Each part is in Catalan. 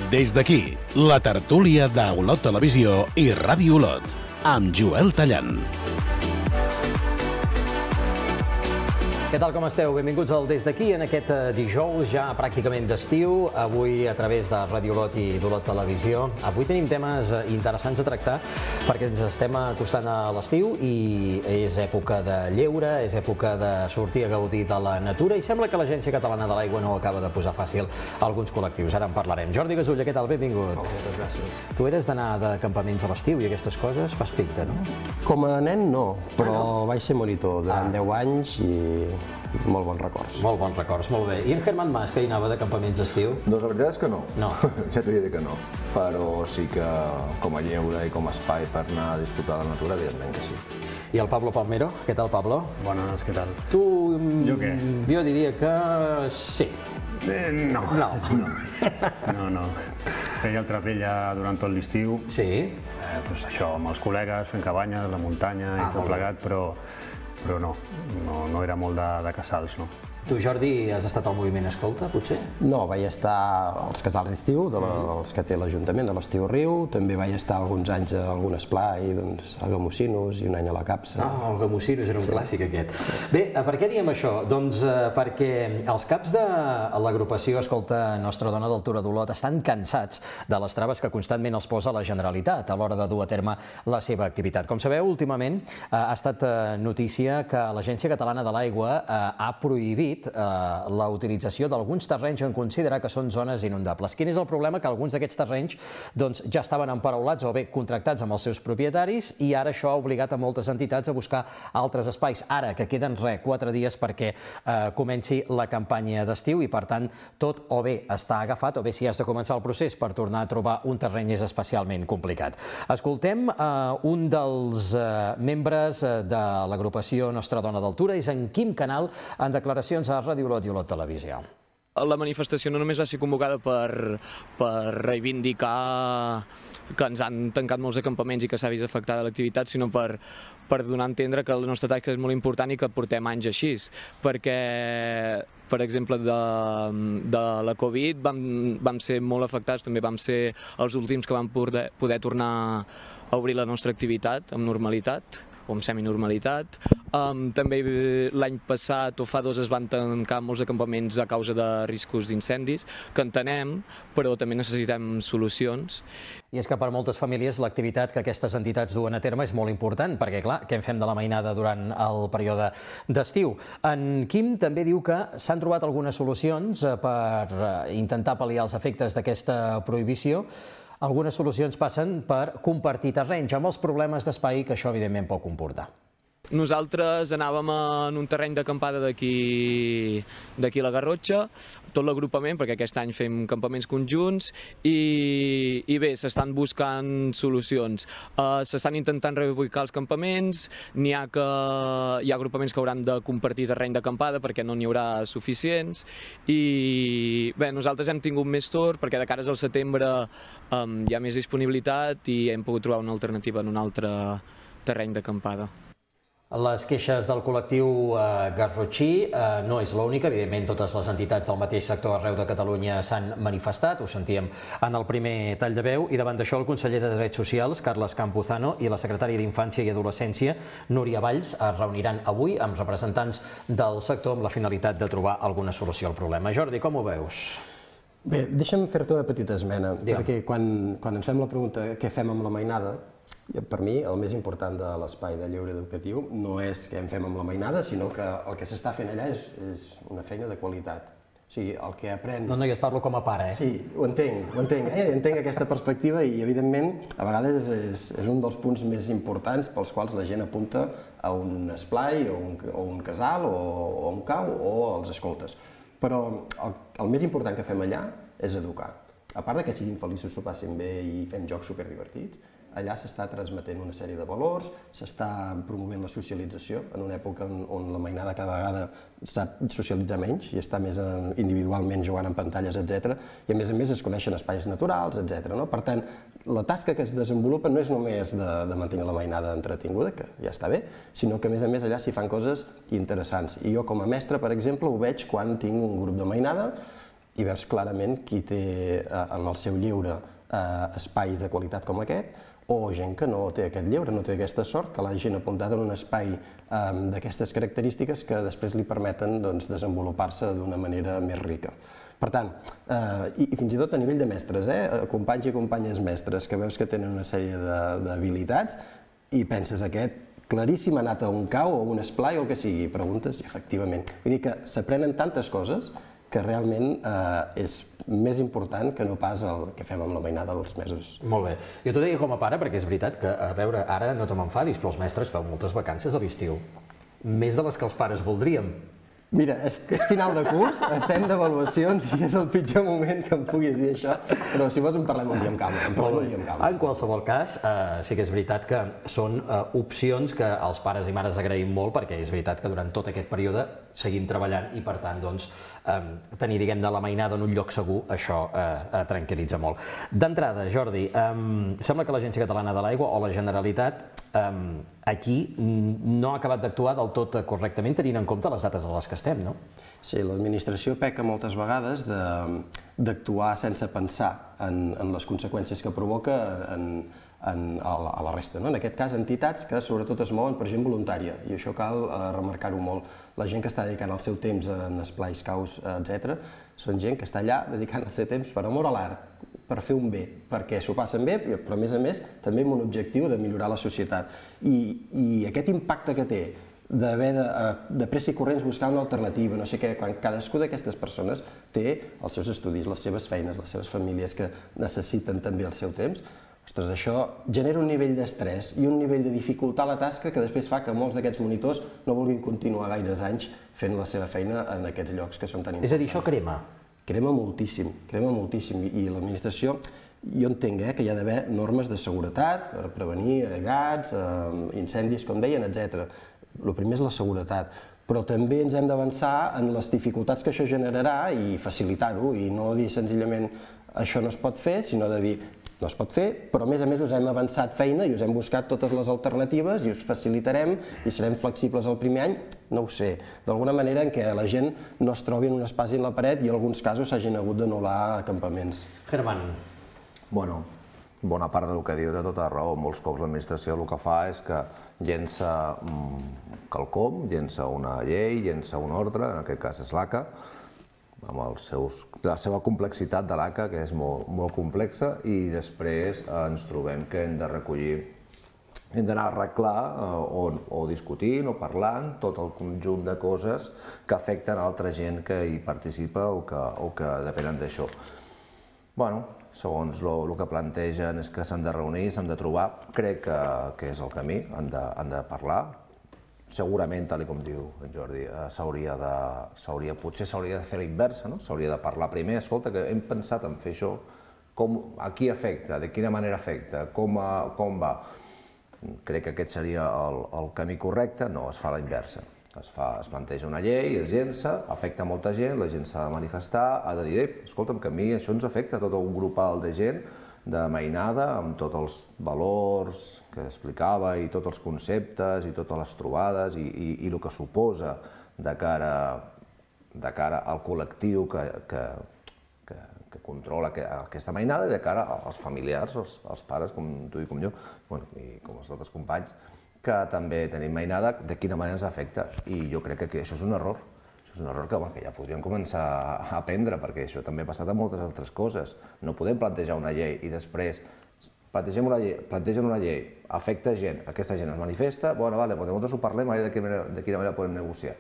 Des d'aquí, la tertúlia d'Olot Televisió i Ràdio Olot, amb Joel Tallant. Què tal, com esteu? Benvinguts al Des d'aquí en aquest dijous ja pràcticament d'estiu, avui a través de Ràdio Olot i d'Olot Televisió. Avui tenim temes interessants a tractar perquè ens estem acostant a l'estiu i és època de lleure, és època de sortir a gaudir de la natura i sembla que l'Agència Catalana de l'Aigua no acaba de posar fàcil a alguns col·lectius. Ara en parlarem. Jordi Gasulla, què tal? Benvingut. Moltes gràcies. Tu eres d'anar de campaments a l'estiu i aquestes coses fas pinta, no? Com a nen no, però vaig ser monitor durant 10 anys i molt bons records. Molt bons records, molt bé. I en Germán Mas, que hi anava de campaments d'estiu? Doncs la veritat és que no. No. Ja t'ho diré que no. Però sí que com a lleure i com a espai per anar a disfrutar de la natura, evidentment que sí. I el Pablo Palmero, què tal, Pablo? Buenas, ¿qué tal? Tu... Jo què? Jo diria que sí. No. No. No. Feia el trapella durant tot l'estiu. Sí? Pues això, amb els col·legues, fent cabanyes, la muntanya i tot plegat, però no era molt de casals, no. Tu, Jordi, has estat al moviment Escolta, potser? No, vaig estar als casals d'estiu, els que té l'Ajuntament de l'Estiu Riu, també vaig estar alguns anys a algun esplai, a Gamossinos i un any a la Capsa. Ah, el Gamossinos era un clàssic, aquest. Bé, per què diem això? Doncs perquè els caps de l'agrupació Escolta Nostra Dona d'Altura d'Olot estan cansats de les traves que constantment els posa la Generalitat a l'hora de dur a terme la seva activitat. Com sabeu, últimament ha estat notícia que l'Agència Catalana de l'Aigua ha prohibit la utilització d'alguns terrenys en considerar que són zones inundables. Quin és el problema? Que alguns d'aquests terrenys ja estaven emparaulats o bé contractats amb els seus propietaris i ara això ha obligat a moltes entitats a buscar altres espais. Ara, que queden 4 dies perquè comenci la campanya d'estiu i, per tant, tot o bé està agafat o bé si has de començar el procés per tornar a trobar un terreny és especialment complicat. Escoltem un dels membres de l'agrupació Nostra Dona d'Altura, és en Quim Canal, en declaracions a Ràdio Olot i Olot Televisió. La manifestació no només va ser convocada per reivindicar que ens han tancat molts acampaments i que s'ha vist afectada l'activitat, sinó per donar a entendre que la nostra tasca és molt important i que portem anys així, perquè, per exemple, de la Covid vam ser molt afectats, també vam ser els últims que vam poder tornar a obrir la nostra activitat amb normalitat o amb seminormalitat. També l'any passat o fa 2 es van tancar molts acampaments a causa de riscos d'incendis, que entenem, però també necessitem solucions. I és que per moltes famílies l'activitat que aquestes entitats duen a terme és molt important, perquè, clar, què en fem de la mainada durant el període d'estiu? En Quim també diu que s'han trobat algunes solucions per intentar pal·liar els efectes d'aquesta prohibició. Algunes solucions passen per compartir terrenys amb els problemes d'espai que això, evidentment, pot comportar. Nosaltres anàvem en un terreny d'acampada d'aquí a la Garrotxa, tot l'agrupament, perquè aquest any fem campaments conjunts, i bé, s'estan buscant solucions. S'estan intentant reubicar els campaments, hi ha agrupaments que hauran de compartir terreny d'acampada perquè no n'hi haurà suficients, i bé, nosaltres hem tingut més sort perquè de cares al setembre hi ha més disponibilitat i hem pogut trobar una alternativa en un altre terreny d'acampada. Les queixes del col·lectiu garrotxí no és l'única, evidentment totes les entitats del mateix sector arreu de Catalunya s'han manifestat, ho sentíem en el primer tall de veu, i davant d'això el conseller de Drets Socials, Carles Campuzano, i la secretària d'Infància i Adolescència, Núria Valls, es reuniran avui amb representants del sector amb la finalitat de trobar alguna solució al problema. Jordi, com ho veus? Bé, deixa'm fer-te una petita esmena, perquè quan ens fem la pregunta què fem amb la mainada, per mi el més important de l'espai de lleure educatiu no és què en fem amb la mainada, sinó que el que s'està fent allà és una feina de qualitat. O sigui, el que aprèn... No, jo et parlo com a pare, Sí, ho entenc. Entenc aquesta perspectiva i, evidentment, a vegades és un dels punts més importants pels quals la gent apunta a un esplai o un casal o un cau o els escoltes. Però el més important que fem allà és educar. A part que siguin feliços, s'ho passin bé i fem jocs superdivertits, allà s'està transmetent una sèrie de valors, s'està promovent la socialització en una època on la mainada cada vegada sap socialitzar menys i està més individualment jugant en pantalles, etc. I a més es coneixen espais naturals, etc. Per tant, la tasca que es desenvolupa no és només de mantenir la mainada entretinguda, que ja està bé, sinó que a més allà s'hi fan coses interessants. I jo com a mestre, per exemple, ho veig quan tinc un grup de mainada i veus clarament qui té en el seu lleure espais de qualitat com aquest, o gent que no té aquest lleure, no té aquesta sort, que l'hagin apuntat en un espai d'aquestes característiques que després li permeten desenvolupar-se d'una manera més rica. Per tant, i fins i tot a nivell de mestres, companys i companyes mestres, que veus que tenen una sèrie d'habilitats i penses aquest claríssim ha anat a un cau o a un esplai o el que sigui, preguntes i efectivament. Vull dir que s'aprenen tantes coses que realment és més important que no pas el que fem amb la mainada dels mesos. Molt bé. Jo t'ho deia com a pare perquè és veritat que, a veure, ara no te m'enfadis, però els mestres feu moltes vacances a l'estiu. Més de les que els pares voldríem. Mira, és final de curs, estem d'avaluacions i és el pitjor moment que em puguis dir això, però si vols en parlem un dia amb calma. En qualsevol cas, sí que és veritat que són opcions que els pares i mares agraïm molt perquè és veritat que durant tot aquest període seguim treballant i per tant tenir, diguem, de la mainada en un lloc segur, això tranquil·litza molt. D'entrada, Jordi, sembla que l'Agència Catalana de l'Aigua o la Generalitat aquí no ha acabat d'actuar del tot correctament tenint en compte les dates a les que estem, no? Sí, l'administració peca moltes vegades d'actuar sense pensar en les conseqüències que provoca a la resta. En aquest cas, entitats que sobretot es mouen per gent voluntària, i això cal remarcar-ho molt. La gent que està dedicant el seu temps en esplais, caus, etc., són gent que està allà dedicant el seu temps per amor a l'art, per fer un bé, perquè s'ho passen bé, però a més també amb un objectiu de millorar la societat. I aquest impacte que té d'haver de pressa i corrents buscar una alternativa, no sé què, quan cadascú d'aquestes persones té els seus estudis, les seves feines, les seves famílies que necessiten també el seu temps, ostres, això genera un nivell d'estrès i un nivell de dificultar la tasca que després fa que molts d'aquests monitors no vulguin continuar gaires anys fent la seva feina en aquests llocs que són tan importants. És a dir, això crema? Crema moltíssim, i l'administració, jo entenc que hi ha d'haver normes de seguretat per prevenir gats, incendis, com deien, etc. El primer és la seguretat, però també ens hem d'avançar en les dificultats que això generarà i facilitar-ho, i no dir senzillament això no es pot fer, sinó de dir no es pot fer, però a més us hem avançat feina i us hem buscat totes les alternatives i us facilitarem i serem flexibles el primer any, no ho sé, d'alguna manera en què la gent no es trobi en un espasi en la paret i en alguns casos s'hagin hagut d'anul·lar acampaments. Germán. Bueno, bona part del que diu té tota raó. Molts cops l'administració el que fa és que llença quelcom, llença una llei, llença un ordre, en aquest cas és l'ACA, amb la seva complexitat de l'ACA, que és molt complexa, i després ens trobem que hem de recollir, hem d'anar a arreglar o discutint o parlant tot el conjunt de coses que afecten altra gent que hi participa o que depenen d'això. Bueno, segons el que plantegen és que s'han de reunir, s'han de trobar, crec que és el camí, han de parlar. Segurament, tal com diu en Jordi, potser s'hauria de fer la inversa, s'hauria de parlar primer, escolta, que hem pensat en fer això, a qui afecta, de quina manera afecta, com va. Crec que aquest seria el camí correcte, no, es fa la inversa. Es planteja una llei, es llença, afecta molta gent, la gent s'ha de manifestar, ha de dir, escolta'm, que a mi això ens afecta, tot un grup alt de gent, de mainada, amb tots els valors que explicava i tots els conceptes i totes les trobades i el que suposa de cara al col·lectiu que controla aquesta mainada i de cara als familiars, als pares, com tu i com jo, i com els altres companys, que també tenim mainada, de quina manera ens afecta. I jo crec que això és un error. És un error que ja podríem començar a aprendre, perquè això també ha passat amb moltes altres coses. No podem plantejar una llei i després plantegen una llei, afecta gent, aquesta gent es manifesta, bueno, vale, nosaltres ho parlem, de quina manera podem negociar.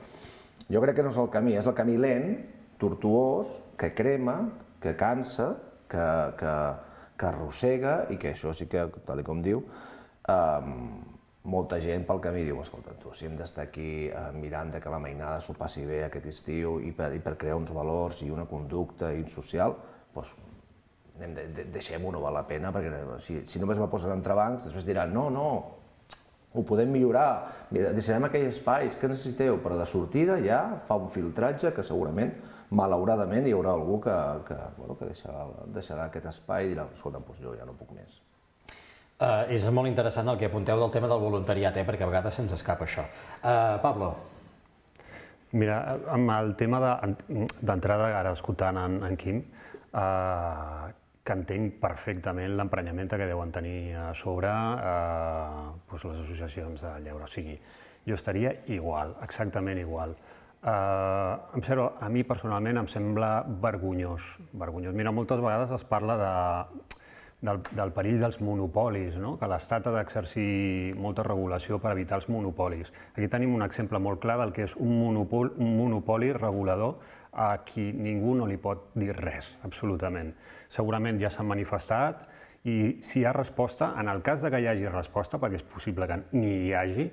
Jo crec que no és el camí, és el camí lent, tortuós, que crema, que cansa, que arrossega i que això sí que, tal com diu, molta gent pel camí diu, escolta, si hem d'estar aquí mirant que la mainada s'ho passi bé aquest estiu i per crear uns valors i una conducta social, doncs deixem-ho, no val la pena, perquè si només me posen entrebancs, després diran, no, ho podem millorar, deixarem aquells espais que necessiteu, però de sortida ja fa un filtratge que segurament, malauradament, hi haurà algú que deixarà aquest espai i dirà, escolta, doncs jo ja no puc més. És molt interessant el que apunteu del tema del voluntariat, perquè a vegades se'ns escapa això. Pablo. Mira, amb el tema d'entrada, ara escoltant en Quim, que entenc perfectament l'emprenyament que deuen tenir a sobre les associacions de lleure. O sigui, jo estaria igual, exactament igual. A mi personalment em sembla vergonyós. Mira, moltes vegades es parla del perill dels monopolis, que l'Estat ha d'exercir molta regulació per evitar els monopolis. Aquí tenim un exemple molt clar del que és un monopoli regulador a qui ningú no li pot dir res, absolutament. Segurament ja s'han manifestat i si hi ha resposta, en el cas que hi hagi resposta, perquè és possible que ni hi hagi,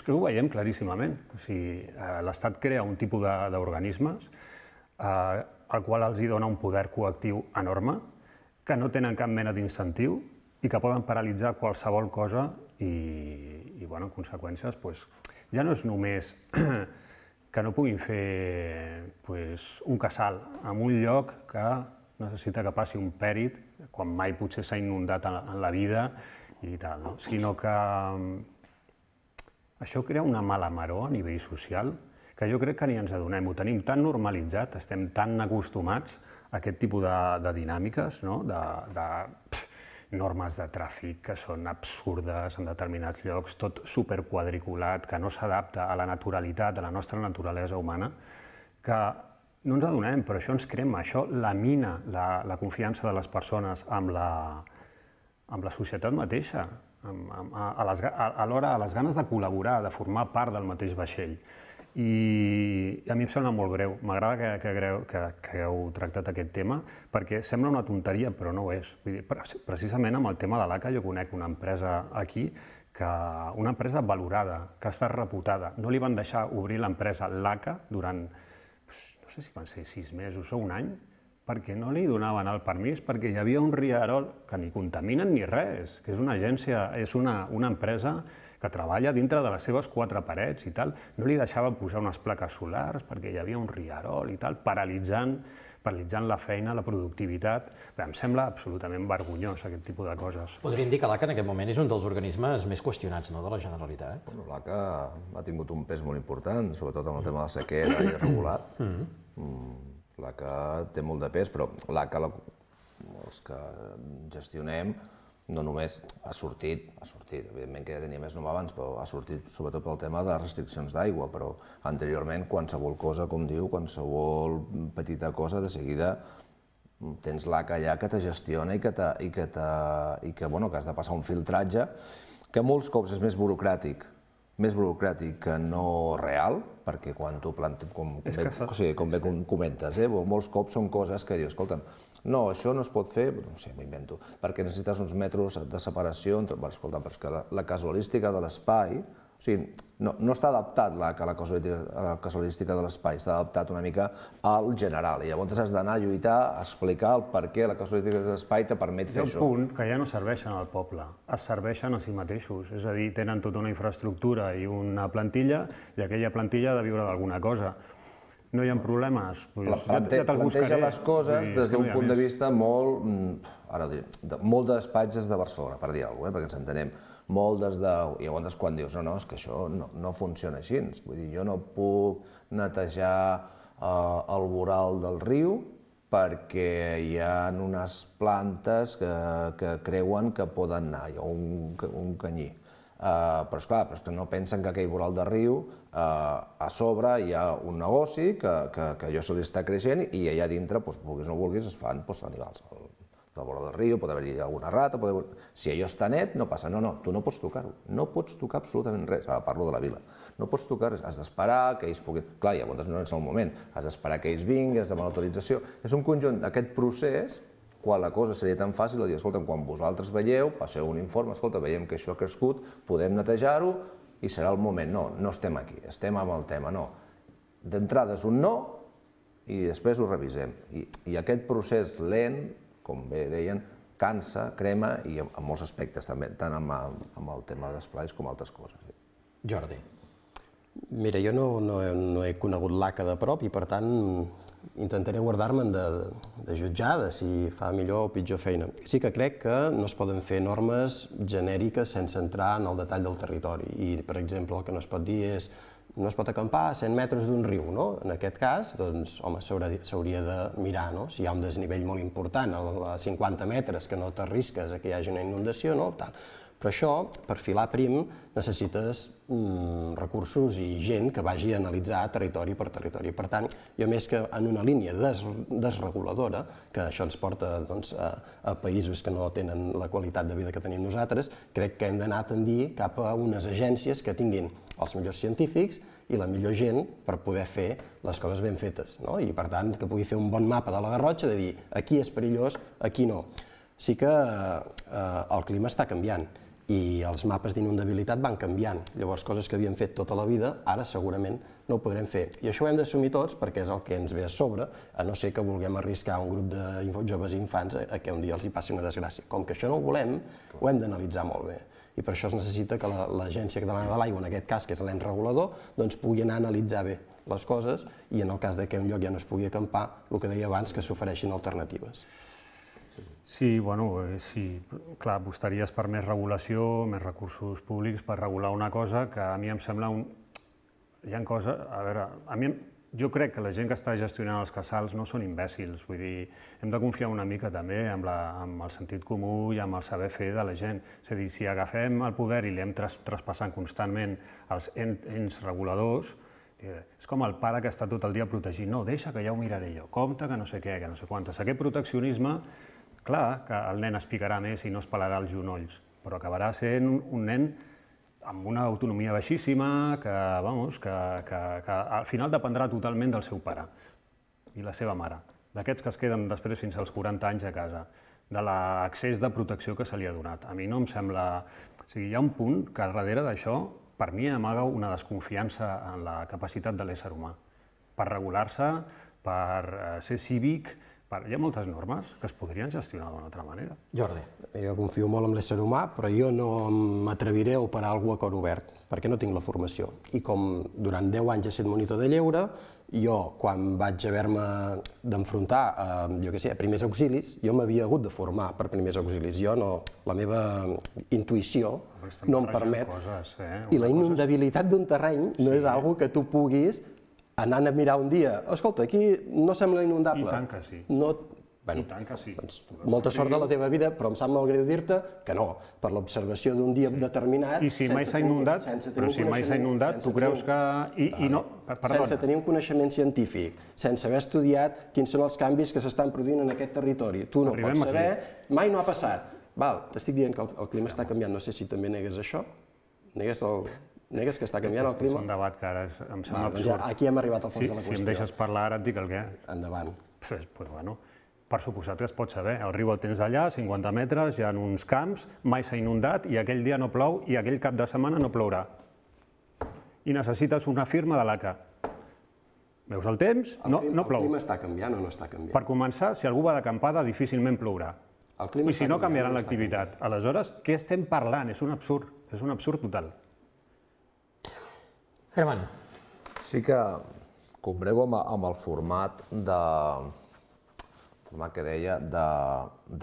que ho veiem claríssimament. L'Estat crea un tipus d'organismes al qual els dona un poder coactiu enorme, que no tenen cap mena d'incentiu i que poden paralitzar qualsevol cosa i, en conseqüències, ja no és només que no puguin fer un casal en un lloc que necessita que passi un pèrit, quan mai potser s'ha inundat en la vida i tal, sinó que això crea una mala maror a nivell social que jo crec que ni ens adonem. Ho tenim tan normalitzat, estem tan acostumats a aquest tipus de dinàmiques, de normes de tràfic que són absurdes en determinats llocs, tot superquadriculat, que no s'adapta a la naturalitat, a la nostra naturalesa humana, que no ens adonem, però això ens crema, això lamina la confiança de les persones amb la societat mateixa, alhora a les ganes de col·laborar, de formar part del mateix vaixell. I a mi em sembla molt greu. M'agrada que hagueu tractat aquest tema perquè sembla una tonteria, però no ho és. Precisament amb el tema de l'ACA jo conec una empresa aquí, una empresa valorada, que ha estat reputada. No li van deixar obrir l'empresa l'ACA durant, no sé si van ser 6 mesos o un any, perquè no li donaven el permís, perquè hi havia un rierol que ni contaminen ni res, que és una agència, és una empresa que treballa dintre de les seves 4 parets i tal. No li deixaven posar unes plaques solars perquè hi havia un rierol i tal, paralitzant la feina, la productivitat. Em sembla absolutament vergonyós aquest tipus de coses. Podríem dir que l'ACA en aquest moment és un dels organismes més qüestionats de la Generalitat. L'ACA ha tingut un pes molt important, sobretot amb el tema de la sequera irregular. L'ACA té molt de pes, però l'ACA, els que gestionem, no només ha sortit, evidentment que ja tenia més nom abans, però ha sortit sobretot pel tema de restriccions d'aigua, però anteriorment qualsevol cosa, com diu, qualsevol petita cosa, de seguida tens l'ACA allà que te gestiona i que has de passar un filtratge que molts cops és més burocràtic que no real, perquè quan tu com bé comentes, molts cops són coses que dius, escolta'm, no, això no es pot fer, no sé, m'ho invento, perquè necessites uns metres de separació entre... Escolta, però és que la casualística de l'espai, o sigui, no està adaptat la casualística de l'espai, està adaptat una mica al general, i llavors has d'anar a lluitar, a explicar el per què la casualística de l'espai te permet fer això. Hi ha un punt que ja no serveixen al poble, es serveixen a si mateixos, és a dir, tenen tota una infraestructura i una plantilla, i aquella plantilla ha de viure d'alguna cosa. No hi ha problemes? Planteja les coses des d'un punt de vista molt de despatges de Barcelona, per dir alguna cosa, perquè ens entenem, molt des de... I llavors quan dius, no, és que això no funciona així, vull dir, jo no puc netejar el voral del riu perquè hi ha unes plantes que creuen que poden anar, hi ha un canyí. Però esclar, no pensen que aquell voral de riu, a sobre hi ha un negoci que allò se li està creixent i allà dintre, vulguis o no vulguis, es fan animals. Del voral del riu pot haver-hi alguna rata, si allò està net no passa, no, tu no pots tocar-ho, no pots tocar absolutament res, ara parlo de la vila, no pots tocar res, has d'esperar que ells puguin... Clar, llavors no és el moment, has d'esperar que ells vinguin, has de demanar autorització, és un conjunt d'aquest procés quan la cosa seria tan fàcil de dir, escolta, quan vosaltres veieu, passeu un informe, escolta, veiem que això ha crescut, podem netejar-ho i serà el moment. No estem aquí, estem amb el tema, no. D'entrada és un no i després ho revisem. I aquest procés lent, com bé deien, cansa, crema i en molts aspectes també, tant amb el tema d'esplais com altres coses. Jordi. Mira, jo no he conegut l'ACA de prop i per tant intentaré guardar-me'n de jutjar de si fa millor o pitjor feina. Sí que crec que no es poden fer normes genèriques sense entrar en el detall del territori. I, per exemple, el que no es pot dir és no es pot acampar a 100 metres d'un riu, no? En aquest cas, doncs, home, s'hauria de mirar, no? Si hi ha un desnivell molt important a 50 metres que no t'arrisques a que hi hagi una inundació, no? Tal. Però això, per filar prim, necessites recursos i gent que vagi a analitzar territori per territori. Per tant, jo més que en una línia desreguladora, que això ens porta a països que no tenen la qualitat de vida que tenim nosaltres, crec que hem d'anar a tendir cap a unes agències que tinguin els millors científics i la millor gent per poder fer les coses ben fetes. I, per tant, que pugui fer un bon mapa de la Garrotxa, de dir aquí és perillós, aquí no. Sí que el clima està canviant i els mapes d'inundabilitat van canviant. Llavors, coses que havíem fet tota la vida, ara segurament no ho podrem fer. I això ho hem d'assumir tots perquè és el que ens ve a sobre, a no ser que vulguem arriscar un grup de joves i infants a que un dia els hi passi una desgràcia. Com que això no ho volem, ho hem d'analitzar molt bé. I per això es necessita que l'Agència Catalana de l'Aigua, en aquest cas, que és l'ens regulador, doncs pugui anar a analitzar bé les coses i en el cas que un lloc ja no es pugui acampar, el que deia abans, que s'ofereixin alternatives. Sí, sí, clar, apostaries per més regulació, més recursos públics per regular una cosa que a mi em sembla Hi ha coses... A veure, jo crec que la gent que està gestionant els casals no són imbècils, vull dir, hem de confiar una mica també amb el sentit comú i amb el saber fer de la gent. És a dir, si agafem el poder i l'anem traspassant constantment als ens reguladors, és com el pare que està tot el dia protegint. No, deixa que ja ho miraré jo, compte que no sé què, que no sé quantes. Aquest proteccionisme, clar, que el nen es picarà més i no es pelarà els genolls, però acabarà sent un nen amb una autonomia baixíssima, que al final dependrà totalment del seu pare i la seva mare, d'aquests que es queden després fins als 40 anys a casa, de l'accés de protecció que se li ha donat. A mi no em sembla... O sigui, hi ha un punt que darrere d'això, per mi, amaga una desconfiança en la capacitat de l'ésser humà per regular-se, per ser cívic. Hi ha moltes normes que es podrien gestionar d'una altra manera. Jordi. Jo confio molt en l'ésser humà, però jo no m'atreviré a operar alguna cosa a cor obert, perquè no tinc la formació. I com durant 10 anys he estat monitor de lleure, jo, quan vaig haver-me d'enfrontar a primers auxilis, jo m'havia hagut de formar per primers auxilis. Jo no, la meva intuïció no em permet. I la inundabilitat d'un terreny no és algo que tu puguis anant a mirar un dia, escolta, aquí no sembla inundable. I tant que sí. I tant que sí. Molta sort de la teva vida, però em sap molt greu dir-te que no, per l'observació d'un dia determinat... I si mai s'ha inundat, però si mai s'ha inundat, tu creus que... Sense tenir un coneixement científic, sense haver estudiat quins són els canvis que s'estan produint en aquest territori. Tu no pots saber, mai no ha passat. T'estic dient que el clima està canviant, no sé si també negues això, negues que està canviant el clima? És un debat que ara em sembla absurd. Aquí hem arribat al fons de la qüestió. Si em deixes parlar ara et dic el què. Endavant. Per suposat que es pot saber. El riu el tens allà, 50 metres, hi ha uns camps, mai s'ha inundat i aquell dia no plou i aquell cap de setmana no plourà. I necessites una firma de l'ACA. Veus el temps? No plou. El clima està canviant o no està canviant? Per començar, si algú va d'acampada, difícilment plourà. I si no, canviaran l'activitat. Aleshores, què estem parlant? És un absurd total. Herman. Sí que combrego amb el format que deia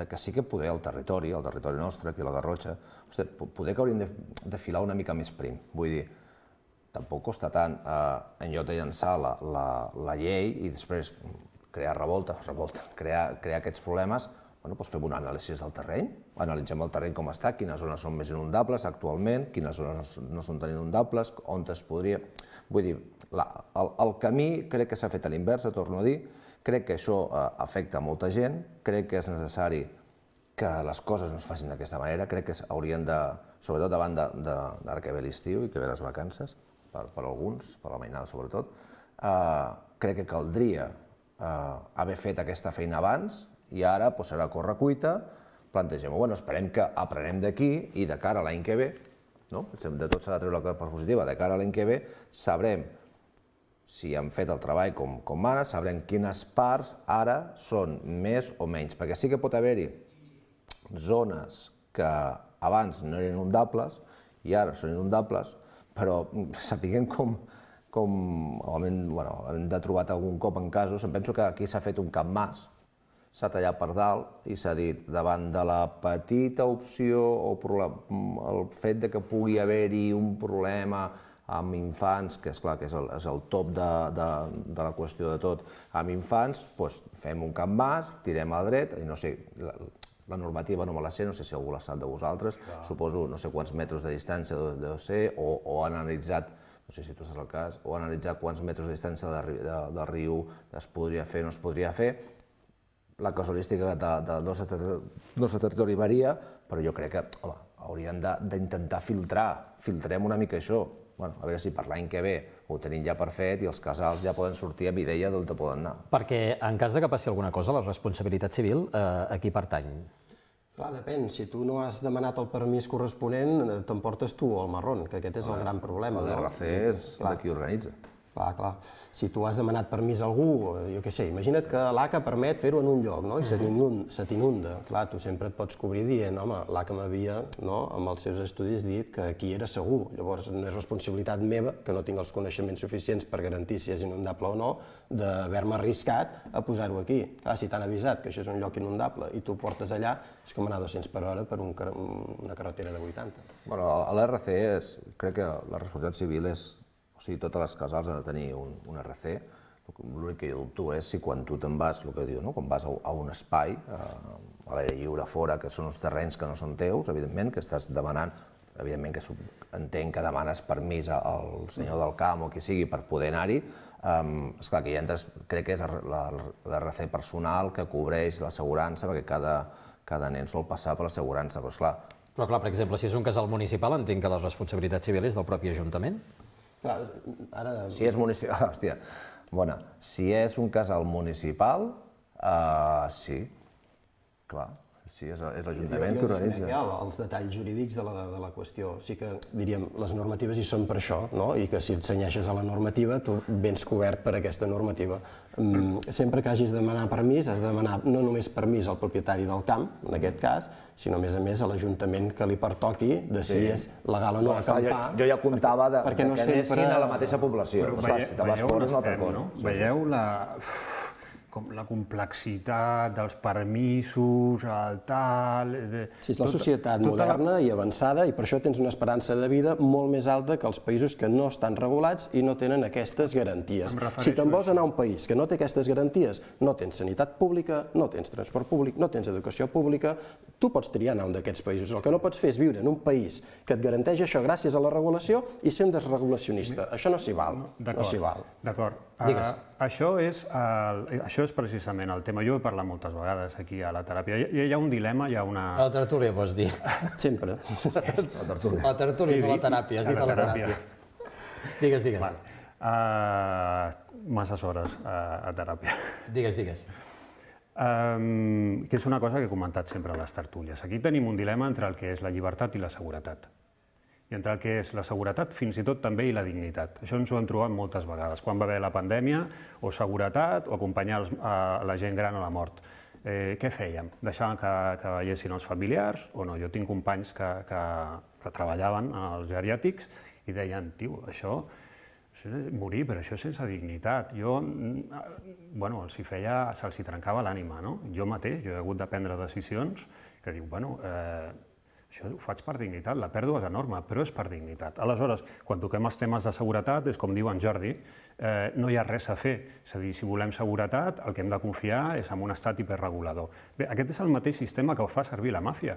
que sí que poder el territori nostre, aquí a la Garrotxa, poder que hauríem de filar una mica més prim. Vull dir, tampoc costa tant en lloc de llançar la llei i després crear revolta, crear aquests problemes, fem una anàlisi del terreny, analitzem el terreny com està, quines zones són més inundables actualment, quines zones no són tan inundables, on es podria... Vull dir, el camí crec que s'ha fet a l'inversa, torno a dir, crec que això afecta molta gent, crec que és necessari que les coses no es facin d'aquesta manera, crec que haurien de, sobretot davant d'ara que ve l'estiu i que ve les vacances, per alguns, per la mainada sobretot, crec que caldria haver fet aquesta feina abans i ara serà a correcuita, plantegem-ho, esperem que aprenem d'aquí i de cara a l'any que ve, de tot s'ha de treure la part positiva, de cara a l'any que ve sabrem si hem fet el treball com ara, sabrem quines parts ara són més o menys, perquè sí que pot haver-hi zones que abans no eren inundables i ara són inundables, però sapiguem hem de trobat algun cop en casos, em penso que aquí s'ha fet un capmàs, s'ha tallat per dalt i s'ha dit, davant de la petita opció o el fet de que pugui haver-hi un problema amb infants, que és clar que és el top de la qüestió de tot, amb infants, doncs fem un capmàs, tirem al dret, i no sé, la normativa no me la sé, no sé si algú la sap de vosaltres, suposo no sé quants metres de distància deu ser, o han analitzat, no sé si tu saps el cas, o han analitzat quants metres de distància del riu es podria fer o no es podria fer. La casualística del nostre territori varia, però jo crec que hauríem d'intentar filtrar, filtrem una mica això. A veure si per l'any que ve ho tenim ja per fet i els casals ja poden sortir amb idea d'on poden anar. Perquè en cas que passi alguna cosa, la responsabilitat civil a qui pertany? Clar, depèn. Si tu no has demanat el permís corresponent, t'emportes tu el marrón, que aquest és el gran problema. L'RC és de qui organitza. Clar. Si tu has demanat permís a algú, jo què sé, imagina't que l'ACA permet fer-ho en un lloc, no? I se t'inunda. Clar, tu sempre et pots cobrir dient, home, l'ACA m'havia, amb els seus estudis, dit que aquí era segur. Llavors, no és responsabilitat meva, que no tinc els coneixements suficients per garantir si és inundable o no, d'haver-me arriscat a posar-ho aquí. Clar, si t'han avisat que això és un lloc inundable i tu ho portes allà, és com anar a 200 per hora per una carretera de 80. A l'RC crec que la responsabilitat civil és... O sigui, totes les casals han de tenir un RC. L'únic que jo dubto és si quan tu te'n vas, el que diu, quan vas a un espai, a l'aire lliure fora, que són uns terrenys que no són teus, evidentment, que estàs demanant, evidentment que entenc que demanes permís al senyor del camp o qui sigui per poder anar-hi, esclar, que ja entres, crec que és l'RC personal que cobreix l'assegurança, perquè cada nen sol passar per l'assegurança, però esclar... Però clar, per exemple, si és un casal municipal, entenc que la responsabilitat civil és del propi Ajuntament? Clar, ara... Si és municipal, hòstia, bona, si és un casal municipal, sí, clar, sí, és l'Ajuntament que organitza. Jo els detalls jurídics de la qüestió. Sí que, diríem, les normatives hi són per això, no? I que si et cenyeixes a la normativa, tu vens cobert per aquesta normativa. Sempre que hagis de demanar permís, has de demanar no només permís al propietari del camp, en aquest cas, sinó a més a l'Ajuntament que li pertoqui de si és legal o no acampar. Jo ja comptava que anessin a la mateixa població. Si te vas fora és una altra cosa. Veieu la complexitat dels permisos, el tal... Sí, és la societat moderna i avançada i per això tens una esperança de vida molt més alta que els països que no estan regulats i no tenen aquestes garanties. Si te'n vols anar a un país que no té aquestes garanties, no tens sanitat pública, no tens transport públic, no tens educació pública, tu pots triar anar a un d'aquests països. El que no pots fer és viure en un país que et garanteix això gràcies a la regulació i ser un desregulacionista. Això no s'hi val. No s'hi val. D'acord. Això és precisament el tema. Jo he parlat moltes vegades aquí a la teràpia. Hi ha un dilema, hi ha una... A la tertúlia, pots dir. Sempre. La tertúlia, no la teràpia. Has dit a la teràpia. Digues. Masses hores a teràpia. Digues. Que és una cosa que he comentat sempre a les tertúlies. Aquí tenim un dilema entre el que és la llibertat i la seguretat. I entre el que és la seguretat, fins i tot també, i la dignitat. Això ens ho hem trobat moltes vegades, quan va haver la pandèmia, o seguretat, o acompanyar la gent gran a la mort. Què fèiem? Deixàvem que veiessin els familiars o no? Jo tinc companys que treballaven als geriàtrics i deien, tio, això és morir, però això és sense dignitat. Se'ls trencava l'ànima, no? Jo mateix, jo he hagut de prendre decisions que diu, això ho faig per dignitat, la pèrdua és enorme, però és per dignitat. Aleshores, quan toquem els temes de seguretat, és com diu en Jordi, no hi ha res a fer. És a dir, si volem seguretat, el que hem de confiar és en un estat hiperregulador. Bé, aquest és el mateix sistema que ho fa servir la màfia.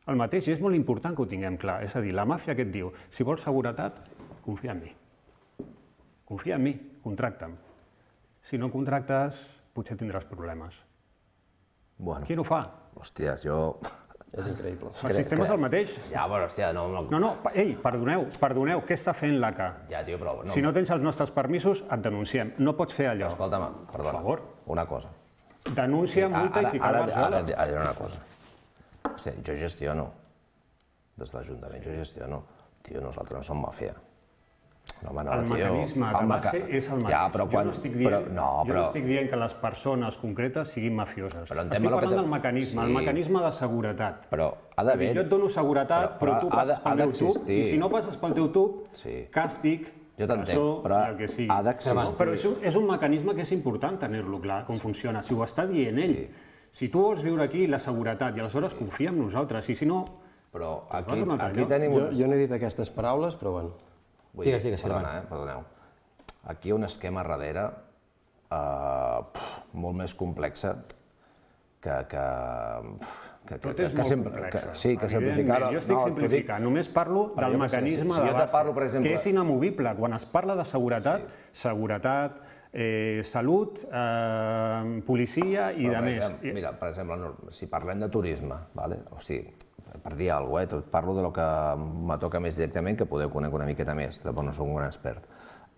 El mateix, i és molt important que ho tinguem clar. És a dir, la màfia que et diu, si vols seguretat, confia en mi. Confia en mi, contracta'm. Si no contractes, potser tindràs problemes. Qui ho fa? Hòstia, jo... És increïble. El sistema és el mateix. Ja, però, hòstia, no... No, ei, perdoneu, què està fent l'ACA? Ja, tio, però... Si no tens els nostres permisos, et denunciem. No pots fer allò. Escolta'm, perdona, per favor. Una cosa. Denúncia, multa i si cal Barcelona. Ara diré una cosa. Hòstia, jo gestiono. Des de l'Ajuntament jo gestiono. Tio, nosaltres no som màfia. El mecanisme de base és el mateix. Jo no estic dient que les persones concretes siguin mafioses. Estic parlant del mecanisme, el mecanisme de seguretat. Però ha d'haver... Jo et dono seguretat, però tu passes pel meu tub, i si no passes pel teu tub, càstig, Jo t'entenc, però ha d'existir. Però és un mecanisme que és important tenir-lo clar, com funciona. Si ho està dient ell, si tu vols viure aquí la seguretat i aleshores confia en nosaltres, i si no... Però aquí tenim... Jo no he dit aquestes paraules, però bueno. Digues, Perdoneu. Aquí hi ha un esquema darrere molt més complexa Tot és molt complex. Sí, que simplificar... Jo estic simplificant, només parlo del mecanisme de base, que és inamovible. Quan es parla de seguretat, salut, policia i de més. Mira, per exemple, si parlem de turisme, o sigui, per dir alguna cosa, parlo de lo que me toca més directament, que podeu conèixer una miqueta més, tampoc no soc un gran expert.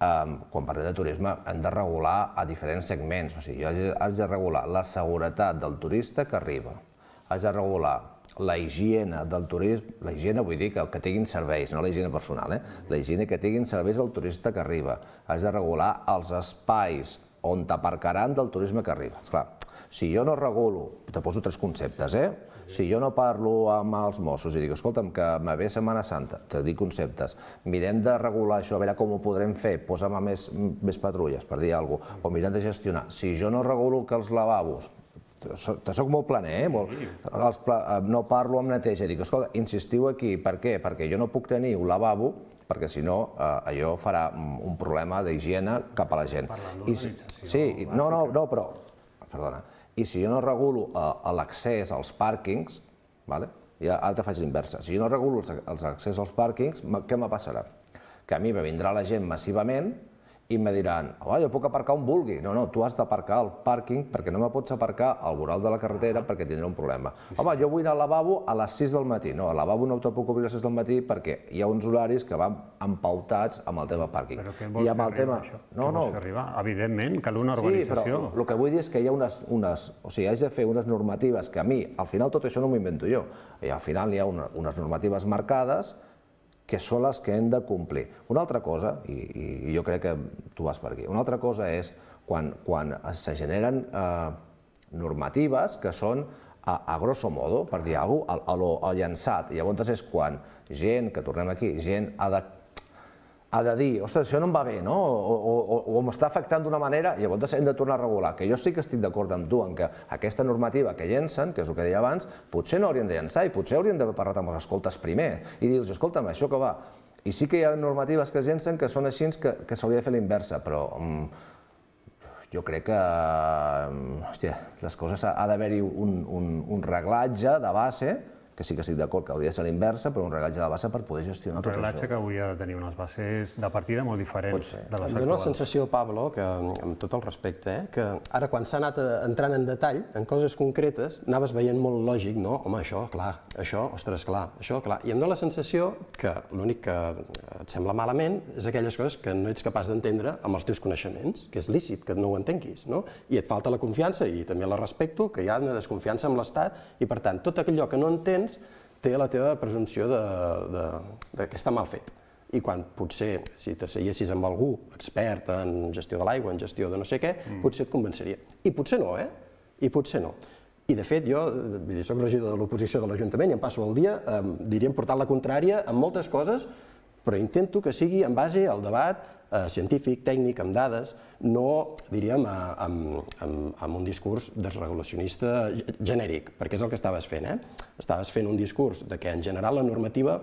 Quan parlem de turisme hem de regular a diferents segments, o sigui, has de regular la seguretat del turista que arriba, has de regular la higiene del turisme, la higiene vull dir que tinguin serveis, no la higiene personal, la higiene que tinguin serveis al turista que arriba, has de regular els espais on t'aparcaran del turisme que arriba. Esclar, si jo no regulo, te poso 3 conceptes, si jo no parlo amb els Mossos i dic, escolta'm, que me ve Setmana Santa, te dic conceptes, mirem de regular això, a veure com ho podrem fer, posa'm més patrulles, per dir alguna cosa, o mirem de gestionar. Si jo no regulo que els lavabos, soc molt planer, no parlo amb neteja, dic, escolta, insistiu aquí, per què? Perquè jo no puc tenir un lavabo, perquè si no allò farà un problema d'higiene cap a la gent. Per la normalització. Sí, no, però, perdona, i si jo no regulo l'accés als pàrquings, ara te faig l'inversa, si jo no regulo l'accés als pàrquings, què me passarà? Que a mi me vindrà la gent massivament i me diran, jo puc aparcar on vulgui. No, tu has d'aparcar al pàrquing perquè no me pots aparcar al voral de la carretera perquè tindré un problema. Home, jo vull anar al lavabo a les 6 del matí. No, al lavabo no te puc obrir a les 6 del matí perquè hi ha uns horaris que van empautats amb el tema pàrquing. Però què vols fer arribar, això? Què vols fer arribar? Evidentment, cal una urbanització. Sí, però el que vull dir és que hi ha haig de fer unes normatives que a mi, al final tot això no m'ho invento jo, i al final hi ha unes normatives marcades que són les que hem de complir. Una altra cosa, i jo crec que tu vas per aquí, una altra cosa és quan se generen normatives que són a grosso modo, per dir alguna cosa, a lo llançat. I llavors és quan gent, que tornem aquí, gent ha de dir, ostres, això no em va bé, no? O m'està afectant d'una manera, i llavors hem de tornar a regular. Que jo sí que estic d'acord amb tu en que aquesta normativa que llencen, que és el que deia abans, potser no haurien de llançar i potser haurien d'haver parlat amb els escoltes primer i dir-los, escolta'm, això que va. I sí que hi ha normatives que es llencen que són així que s'hauria de fer la inversa, però jo crec que, hòstia, les coses ha d'haver-hi un reglatge de base, que sí que estic d'acord que hauria de ser l'inversa, però un reglatge de base per poder gestionar tot això. Un reglatge que hauria de tenir unes bases de partida molt diferents de les actuals. Em dóna la sensació, Pablo, que, amb tot el respecte, que ara quan s'ha anat entrant en detall, en coses concretes, anaves veient molt lògic, no? Home, això, clar, això, ostres, clar, això, clar. I em dóna la sensació que l'únic que et sembla malament és aquelles coses que no ets capaç d'entendre amb els teus coneixements, que és lícit que no ho entenguis, no? I et falta la confiança, i també la respecto, que hi ha una desconfiança amb l'Estat, i per tant, tot allò que no entens té la teva presumpció que està mal fet. I quan potser, si t'asseiessis amb algú expert en gestió de l'aigua, en gestió de no sé què, potser et convenceria. I potser no, I potser no. I de fet, jo soc regidor de l'oposició de l'Ajuntament i em passo el dia, diríem, portant la contrària en moltes coses, però intento que sigui en base al debat científic, tècnic, amb dades, no, diríem, amb un discurs desregulacionista genèric, perquè és el que estaves fent, Estaves fent un discurs de que, en general, la normativa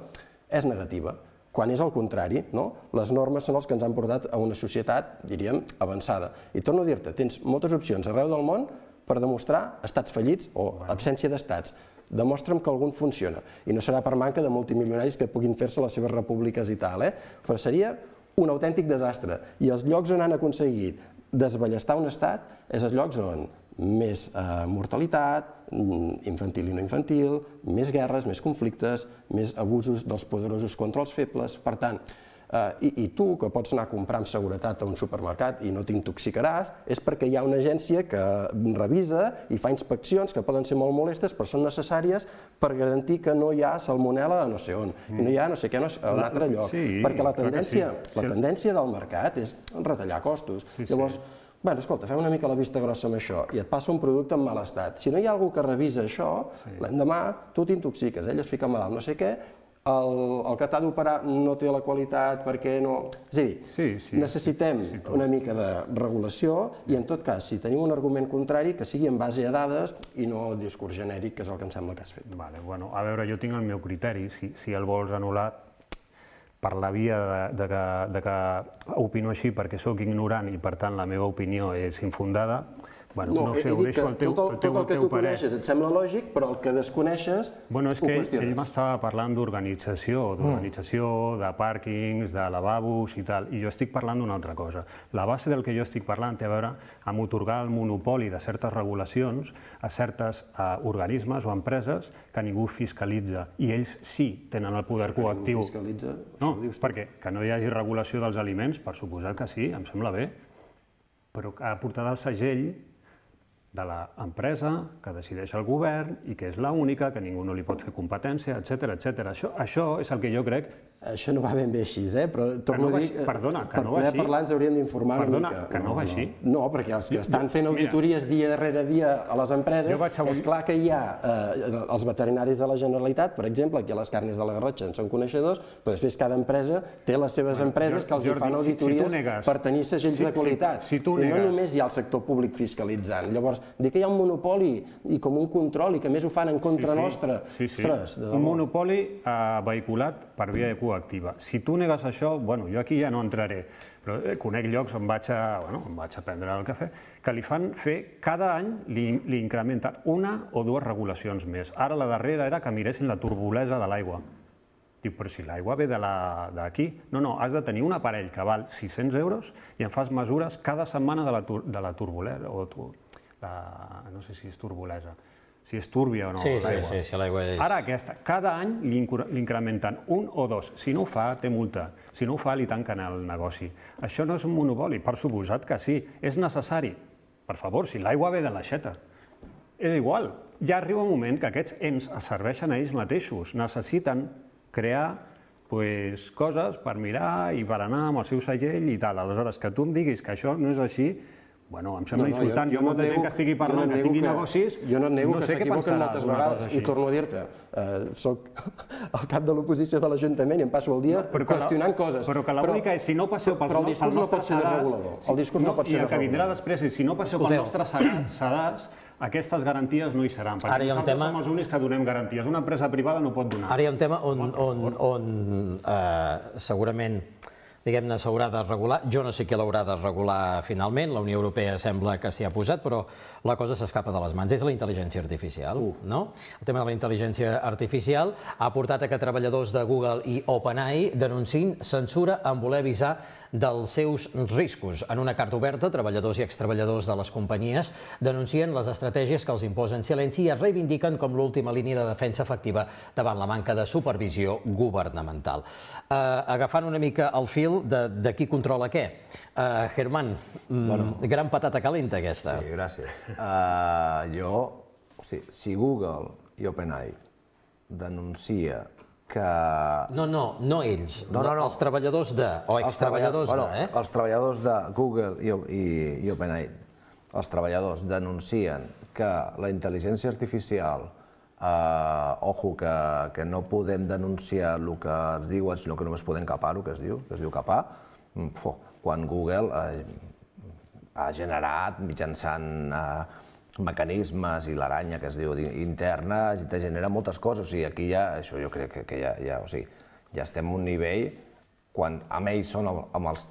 és negativa, quan és el contrari, no? Les normes són els que ens han portat a una societat, diríem, avançada. I torno a dir-te, tens moltes opcions arreu del món per demostrar estats fallits o absència d'estats. Demostra'm que algun funciona. I no serà per manca de multimilionaris que puguin fer-se les seves repúbliques i tal, però seria un autèntic desastre. I els llocs on han aconseguit desballestar un estat és els llocs on més mortalitat, infantil i no infantil, més guerres, més conflictes, més abusos dels poderosos contra els febles. Per tant, i tu, que pots anar a comprar amb seguretat a un supermercat i no t'intoxicaràs, és perquè hi ha una agència que revisa i fa inspeccions que poden ser molt molestes, però són necessàries per garantir que no hi ha salmonel·la a no sé on, i no hi ha no sé què a un altre lloc. Perquè la tendència del mercat és retallar costos. Llavors, escolta, fem una mica la vista grossa amb això i et passa un producte en mal estat. Si no hi ha algú que revisa això, l'endemà tu t'intoxiques, ell es fica malalt, no sé què, el que t'ha d'operar no té la qualitat perquè no... És a dir, necessitem una mica de regulació i en tot cas, si tenim un argument contrari, que sigui en base a dades i no discurs genèric, que és el que em sembla que has fet. Bueno, a veure, jo tinc el meu criteri, si el vols anul·lar per la via de que opino així perquè sóc ignorant i per tant la meva opinió és infundada, no sé, ho deixo al teu parer. Tot el que tu coneixes et sembla lògic, però el que desconeixes ho qüestiones. Ell m'estava parlant d'organització, de pàrquings, de lavabos i tal, i jo estic parlant d'una altra cosa. La base del que jo estic parlant té a veure amb atorgar el monopoli de certes regulacions a certes organismes o empreses que ningú fiscalitza, i ells sí tenen el poder coactiu. No, perquè que no hi hagi regulació dels aliments, per suposat que sí, em sembla bé, però ha de portar el segell de l'empresa que decideix el govern i que és l'única, que ningú no li pot fer competència, etc. Això és el que jo crec. Això no va ben bé així, però torno a dir que per poder parlar ens hauríem d'informar una mica. Que no va així. No, perquè els que estan fent auditories dia darrere dia a les empreses, és clar que hi ha els veterinaris de la Generalitat, per exemple, aquí a les Carnes de la Garrotxa en són coneixedors, però després cada empresa té les seves empreses que els hi fan auditories per tenir segells de qualitat. I no només hi ha el sector públic fiscalitzant. Llavors, dir que hi ha un monopoli i com un control i que més ho fan en contra nostra. Un monopoli vehiculat per via coactiva. Si tu negues això, jo aquí ja no entraré, però conec llocs on vaig a prendre el cafè, que li fan fer, cada any li incrementen una o dues regulacions més. Ara la darrera era que miressin la turbolesa de l'aigua. Dic, però si l'aigua ve d'aquí. No, has de tenir un aparell que val 600 euros i en fas mesures cada setmana de la turbolesa, no sé si és turbolesa, si és túrbia o no l'aigua. Sí, l'aigua és... Ara aquesta, cada any li incrementen un o dos. Si no ho fa, té multa. Si no ho fa, li tanquen el negoci. Això no és un monopoli, per suposat que sí. És necessari. Per favor, si l'aigua ve de l'aixeta. És igual. Ja arriba un moment que aquests ens serveixen a ells mateixos. Necessiten crear coses per mirar i per anar amb el seu segell i tal. Aleshores, que tu em diguis que això no és així, em sembla insultant. Jo molta gent que estigui parlant, que tingui negocis, jo no et nego que s'equivoquen moltes vegades, i torno a dir-te, soc el cap de l'oposició de l'Ajuntament i em passo el dia qüestionant coses. Però que l'única és, si no passeu pels nostres sedars... Però el discurs no pot ser regulador. El discurs no pot ser regulador. I el que vindrà després és, si no passeu pels nostres sedars, aquestes garanties no hi seran, perquè nosaltres som els únics que donem garanties. Una empresa privada no pot donar. Ara hi ha un tema on segurament diguem-ne, s'haurà de regular. Jo no sé qui l'haurà de regular finalment, la Unió Europea sembla que s'hi ha posat, però la cosa s'escapa de les mans. És la intel·ligència artificial, no? El tema de la intel·ligència artificial ha portat a que treballadors de Google i OpenAI denunciïn censura en voler avisar dels seus riscos. En una carta oberta, treballadors i extreballadors de les companyies denuncien les estratègies que els imposen silenci i es reivindiquen com l'última línia de defensa efectiva davant la manca de supervisió governamental. Agafant una mica el fil de qui controla què. Germán, gran patata calenta aquesta. Sí, gràcies. Si Google i OpenAI denuncia que... No ells, els treballadors de, o extreballadors de, Els treballadors de Google i OpenAI, els treballadors denuncien que la intel·ligència artificial, que no podem denunciar el que ens diuen, sinó que només podem capar el que es diu capar, quan Google ha generat mitjançant mecanismes i l'aranya que es diu interna, te genera moltes coses. O sigui, aquí ja, això jo crec que ja estem a un nivell quan amb ells són, amb els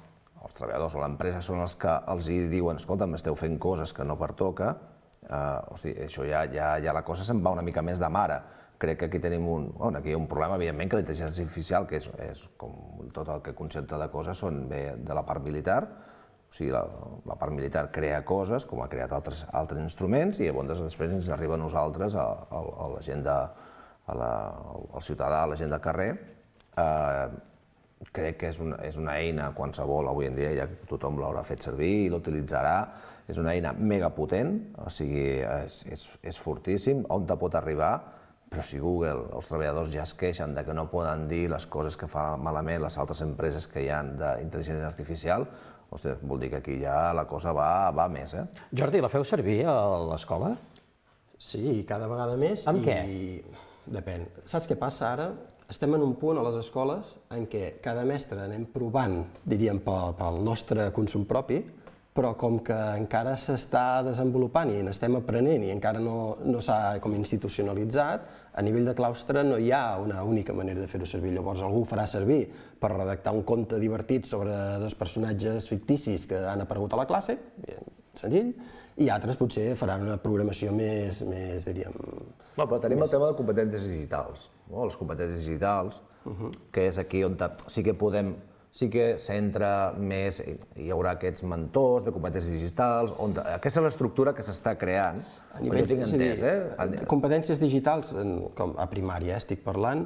treballadors o l'empresa són els que els diuen, escolta, m'esteu fent coses que no pertoca, això ja la cosa se'n va una mica més de mare. Crec que aquí tenim un problema, evidentment, que la intel·ligència artificial, que és com tot el que concepte de coses, són bé de la part militar. O sigui, la part militar crea coses, com ha creat altres instruments, i llavors després ens arriba a nosaltres, a la gent, al ciutadà, a la gent de carrer. Crec que és una eina qualsevol, avui en dia ja tothom l'haurà fet servir i l'utilitzarà. És una eina megapotent, o sigui, és fortíssim, on te pot arribar, però si Google, els treballadors ja es queixen que no poden dir les coses que fan malament les altres empreses que hi ha d'intel·ligència artificial, vol dir que aquí ja la cosa va més. Jordi, la feu servir a l'escola? Sí, cada vegada més. Amb què? Depèn. Saps què passa ara? estem en un punt a les escoles en què cada mestre anem provant, diríem, pel nostre consum propi, però com que encara s'està desenvolupant i n'estem aprenent i encara no s'ha com institucionalitzat, a nivell de claustre no hi ha una única manera de fer-ho servir. Llavors algú ho farà servir per redactar un conte divertit sobre dos personatges ficticis que han aparegut a la classe, senzill, i altres potser faran una programació més diríem... No, però tenim el tema de competències digitals, les competències digitals, que és aquí on sí que s'entra més, hi haurà aquests mentors de competències digitals, aquesta és l'estructura que s'està creant, jo tinc entès, competències digitals, com a primària estic parlant,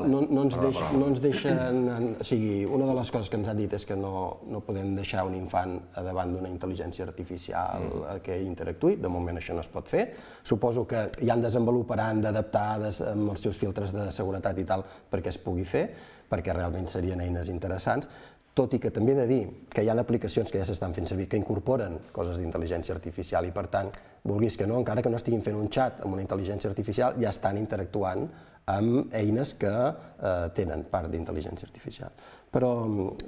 no ens deixen, o sigui, una de les coses que ens han dit és que no podem deixar un infant davant d'una intel·ligència artificial que interactuï, de moment això no es pot fer, suposo que ja en desenvoluparan d'adaptades amb els seus filtres de seguretat i tal perquè es pugui fer, perquè realment serien eines interessants, tot i que també he de dir que hi ha aplicacions que ja s'estan fent servir que incorporen coses d'intel·ligència artificial i per tant, vulguis que no, encara que no estiguin fent un xat amb una intel·ligència artificial, ja estan interactuant amb eines que tenen part d'intel·ligència artificial. Però,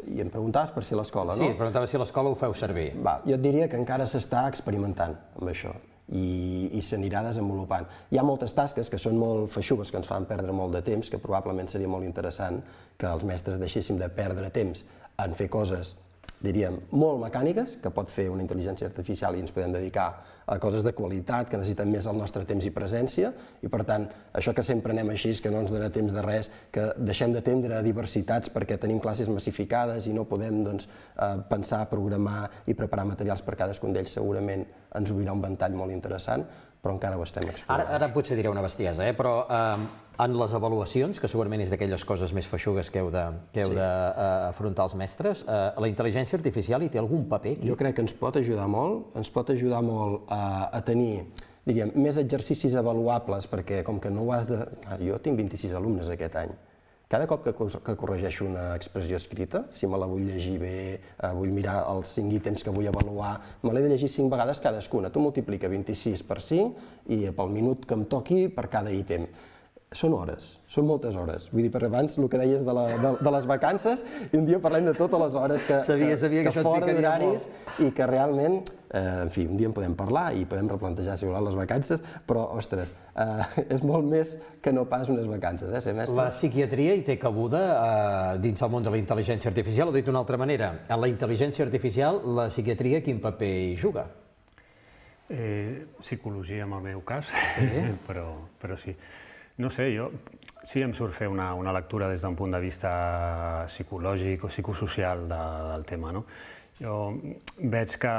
i em preguntaves per si a l'escola, no? Sí, em preguntava si a l'escola ho feu servir. Jo et diria que encara s'està experimentant amb això i s'anirà desenvolupant. Hi ha moltes tasques que són molt feixugues, que ens fan perdre molt de temps, que probablement seria molt interessant que els mestres deixéssim de perdre temps en fer coses, diríem, molt mecàniques, que pot fer una intel·ligència artificial i ens podem dedicar a coses de qualitat que necessiten més el nostre temps i presència i per tant, això que sempre anem així, que no ens dona temps de res, que deixem d'atendre diversitats perquè tenim classes massificades i no podem pensar, programar i preparar materials per cadascun d'ells, segurament ens obrirà un ventall molt interessant, però encara ho estem explorant. Ara potser diré una bestiesa, però en les avaluacions, que segurament és d'aquelles coses més feixugues que heu d'afrontar els mestres, la intel·ligència artificial hi té algun paper aquí? Jo crec que ens pot ajudar molt a tenir, diríem, més exercicis avaluables, perquè com que no ho has de... Jo tinc 26 alumnes aquest any. Cada cop que corregeixo una expressió escrita, si me la vull llegir bé, vull mirar els 5 ítems que vull avaluar, me l'he de llegir 5 vegades cadascuna. Tu multiplica 26 per 5 i pel minut que em toqui per cada ítem. Són hores, són moltes hores. Vull dir, per abans, el que deies de les vacances, i un dia parlem de totes les hores que fora d'horaris i que realment, en fi, un dia en podem parlar i podem replantejar, si voleu, les vacances, però, ostres, és molt més que no pas unes vacances, ser mestre. La psiquiatria hi té cabuda dins el món de la intel·ligència artificial, o dit d'una altra manera, en la intel·ligència artificial, la psiquiatria quin paper hi juga? Psicologia, en el meu cas, però sí. No sé, jo sí em surt fer una lectura des d'un punt de vista psicològic o psicosocial del tema, no? Jo veig que